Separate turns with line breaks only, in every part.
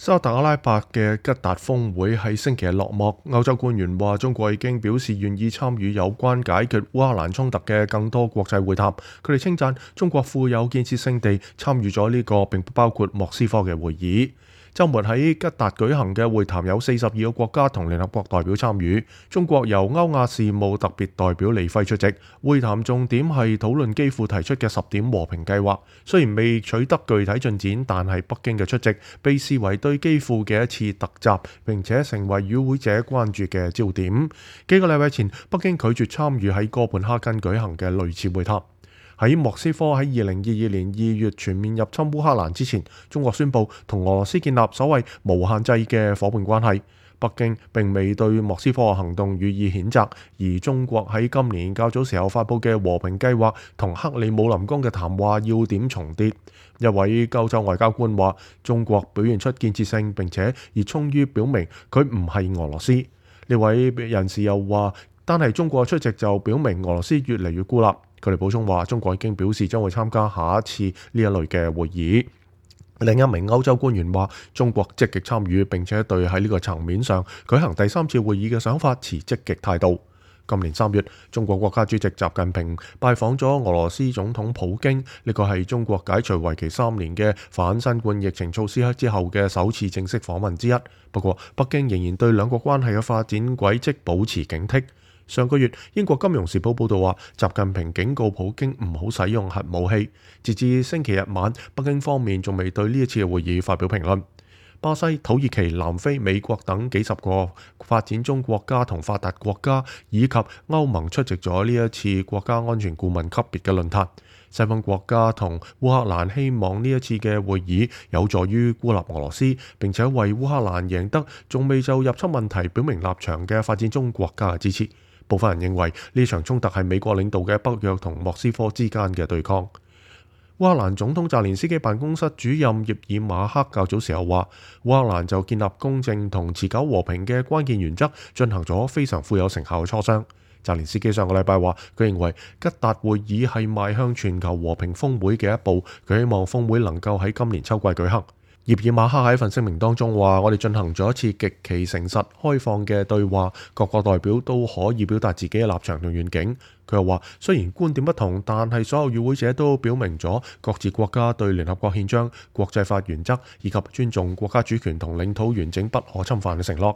沙特阿拉伯嘅吉達峰會喺星期日落幕，歐洲官員話中國已經表示願意參與有關解決烏克蘭衝突嘅更多國際會談。佢哋稱讚中國富有建設性地參與咗呢個並不包括莫斯科嘅會議。週末喺吉達舉行嘅會談有42個國家同聯合國代表參與，中國由歐亞事務特別代表李輝出席。會談重點係討論基輔提出嘅10點和平計劃，雖然未取得具體進展，但係北京嘅出席被視為對基輔嘅一次突襲，並且成為與會者關注嘅焦點。幾個禮拜前，北京拒絕參與喺哥本哈根舉行嘅類似會談。喺莫斯科喺2022年2月全面入侵烏克蘭之前，中國宣布同俄羅斯建立所謂無限制嘅夥伴關係。北京並未對莫斯科嘅行動予以譴責，而中國喺今年較早時候發布嘅和平計劃同克里姆林宮嘅談話要點重疊。一位歐洲外交官話：中國表現出建設性並且熱衷於表明佢唔係俄羅斯。呢位人士又話：單係中國出席就表明俄羅斯越嚟越孤立。佢哋補充話，中國已經表示將會參加下一次呢一類嘅會議。另一名歐洲官員話，中國積極參與並且對喺呢個層面上舉行第3次會議嘅想法持積極態度。今年3月，中國國家主席習近平拜訪咗俄羅斯總統普京，呢個係中國解除為期3年嘅反新冠疫情措施之後嘅首次正式訪問之一。不過，北京仍然對兩國關係嘅發展軌跡保持警惕。上個月，英國金融時報報導話，習近平警告普京唔好使用核武器。截至星期日晚，北京方面仲未對呢一次嘅會議發表評論。巴西、土耳其、南非、美國等幾十個發展中國家同發達國家以及歐盟出席咗呢一次國家安全顧問級別嘅論壇。西方國家同烏克蘭希望呢一次嘅會議有助於孤立俄羅斯，並且為烏克蘭贏得仲未就入侵問題表明立場嘅發展中國家嘅支持。部分人認為呢場衝突係美國領導嘅北約同莫斯科之間嘅對抗。烏克蘭總統澤連斯基辦公室主任葉爾馬克較早時候話，烏克蘭就建立公正同持久和平嘅關鍵原則進行咗非常富有成效嘅磋商。澤連斯基上個禮拜話，佢認為吉達會議係邁向全球和平峰會嘅一步，佢希望峰會能夠喺今年秋季舉行。葉爾馬克喺一份聲明當中話，我哋進行咗一次極其誠實開放嘅對話，各個代表都可以表達自己嘅立場同願景。佢又話，雖然觀點不同，但係所有與會者都表明咗各自國家對聯合國憲章、國際法原則以及尊重國家主權同領土完整不可侵犯嘅承諾。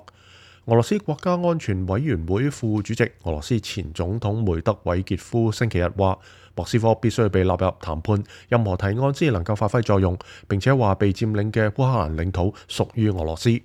俄羅斯國家安全委員會副主席、俄羅斯前總統梅德韋傑夫星期日話，莫斯科必須被納入談判，任何提案先能夠發揮作用，並且話被佔領嘅烏克蘭領土屬於俄羅斯。